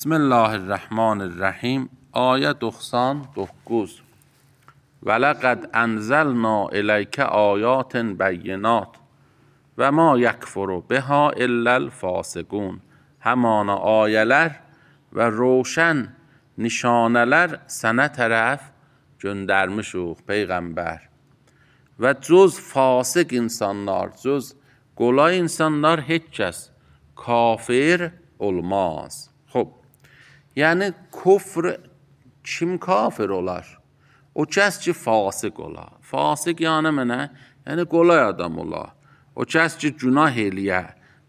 Bismillahirrahmanirrahim. Ayə 99. Və ləqəd ənzəlna iləykə ayatin bəyyinat və ma yəkfuru biha illəl fasiqun. Həmanə ayələr və roşən nişanələr sənə tərəf göndərmişuq Peyğəmbər. Və cüz fasıq insanlar, cüz qolay insanlar heç kəs kafir olmaz. Xub, yəni küfr kim kafir olar? O kəs ki fasıq olar. Fasıq yəni mənə, yəni qolay adam olar. O kəs ki günah eləyə,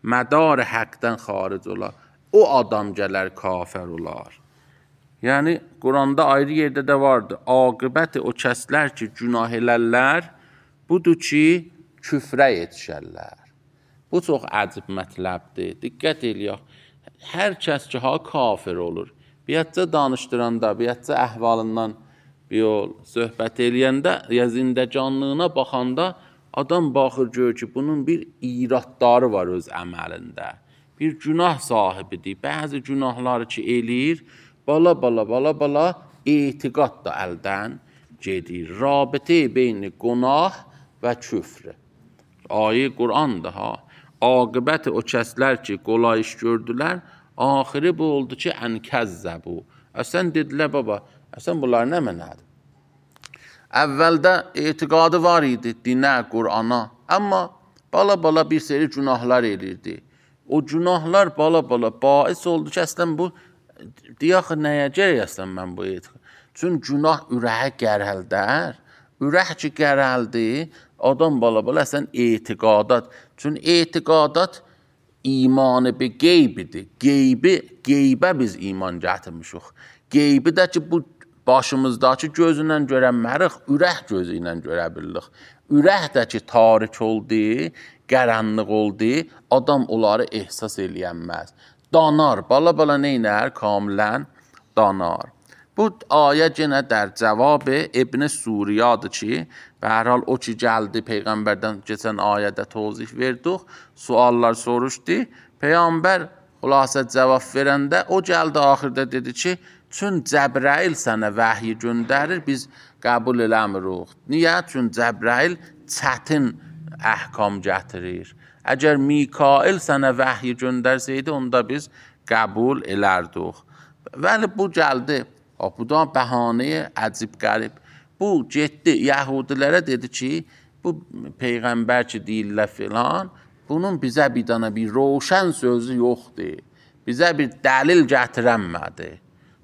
mədar həqdən xaric olar. O adam gələr kafir olar. Yəni Quranda ayrı yerdə də vardır. Aqibəti o kəslər ki günah elərlər, budur ki küfrə yetişərlər. Bu çox əcib mətləbdir. Diqqət eləyək. Hər kəs ki kafir olur. Biyyətcə danışdıranda, biyyətcə əhvalından bir söhbət eləyəndə, ya zindəcanlığına baxanda adam baxır gör ki bunun bir iradları var öz əməlində. Bir günah sahibidir. Bəzi günahları ki eləyir, bala etiqad da əldən gedir. Rabitə beyni günah və küfr. Ayə Qur'andır ha. Aqibəti o kəslər ki qolay iş gördülər, axiri bu oldu ki ənkəzzəbu. Əsən dedilər baba, əsən bunlar nə mənədir? Əvvəldə etiqadı var idi dinə, Qur'ana. Amma bala bir seri günahlar elirdi. O günahlar bala bais oldu ki, əslən bu, deyək nəyə gərək əslən mən bu etiqad? Çün günah ürəyə gərəldər. Ürək ki gərəldi, adam bala əslən etiqadat. Çün etiqadat imanı bir qeybidir. Qeybə biz iman gətirmişik. Qeybi də ki bu başımızdakı gözünlə görənmərik, ürək gözü ilə görə bilirik. Ürək də ki tarik oldu, qaranlıq oldu, adam onları ehsas eləyənməz. Danar, bala neynər? Kamilən danar. Bu ayə yenə در cavab İbn Suriyadır ki, به هر حال o ki gəldi Peyğəmbərdən keçən ayədə tozih verdik, suallar soruşdu. Peyğəmbər xülasə cavab verəndə o gəldi axırda dedi ki, çün Cəbrail sənə vəhyi göndərir, biz qəbul eləmirik. Niyə? Çün Cəbrail çətin əhkam gətirir. Əgər Mikail sənə vəhyi göndərsəydi, onda biz qəbul elərdik. Vəli bu gəldi. Bu da bəhanəyə əcib qərib. Bu getdi Yahudilərə dedi ki, bu Peyğəmbər ki deyirlər filan, bunun bizə bir dana bir roşən sözü yoxdur. Bizə bir dəlil gətirənmədi.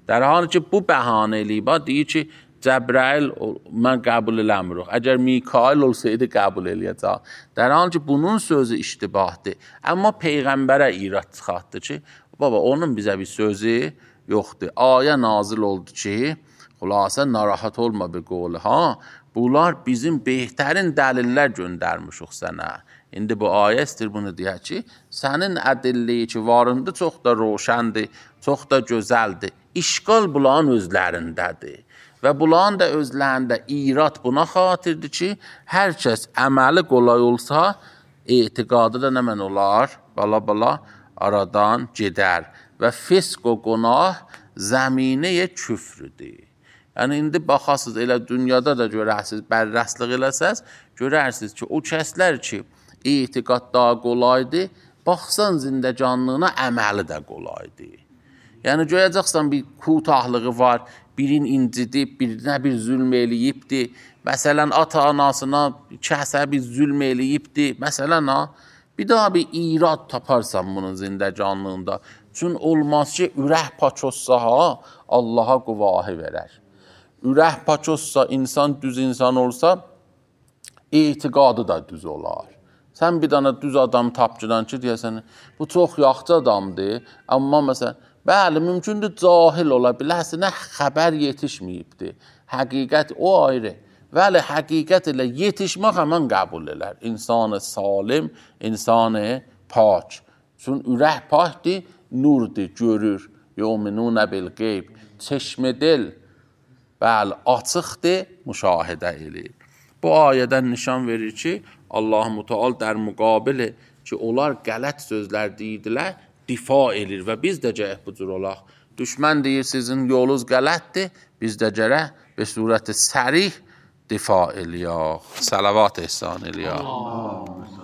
در حالی ki bu bəhanə eləyib, deyir ki, Cəbrail mən qəbul eləmirik. Əgər Mikail olsaydı qəbul eləyəcək. در حالی ki bunun sözü iştibahdır. Amma Peyğəmbərə irad çıxartdı ki, baba onun bizə bir sözü yoxdur. Ayə nazil oldu ki, xülasə narahat olma bir qolu ha. Bunlar bizim behtarin dəlillər göndərmişik sənə. İndi bu ayə istir bunu deyək ki, sənin ədilliyi ki varındı çox da roşəndir, çox da gözəldir. İşqal bunların özlərindədir. Və bunların da özlərində irad buna xatirdir ki, hər kəs əməli qolay olsa, etiqadı da nə mən olar? Bala aradan gedər. Və fisq o günah zəminəyə küfrüdür. Yəni, indi baxasınız, elə dünyada da görərsiniz, bərrəslik eləsəz, görərsiniz ki, o kəslər ki, etiqad daha qolaydır, baxsan zindəcanlığına əməli də qolaydır. Yəni, görəcəksən bir kutahlığı var, birin incidib, birinə bir zülm eləyibdir, məsələn, ata-anasına kəsə bir zülm eləyibdir, məsələn, bir daha bir irad taparsan bunun zindəcanlığında. Çün olmaz ki, ürək paç olsa Allaha quvahı verər. Ürək paç olsa, insan düz insan olsa, etiqadı da düz olar. Sən bir dana düz adam tapcıdan ki, deyəsən, bu çox yaxşı adamdır, amma məsələn, bəli, mümkündür cahil ola biləsinə xəbər yetişməyibdir. Həqiqət o ayrı. Vəli həqiqət ilə yetişmək həmən qəbul elər. İnsanı salim, insanı pak. Çün ürək pakdir, nurdur, görür. Yu'minun bil qeyb. Çeşmə dil, bəli, açıqdır, müşahidə eləyir. Bu ayədən nişan verir ki, Allah-u Teala در müqabili ki, onlar qələt sözlər deyirdilər, difa edir və biz də gərək bu cür olaq. Düşmən deyir, sizin yolunuz qələtdir, biz də gərək به صورت سریح دفاع eləyək, salavat ehsan eləyək.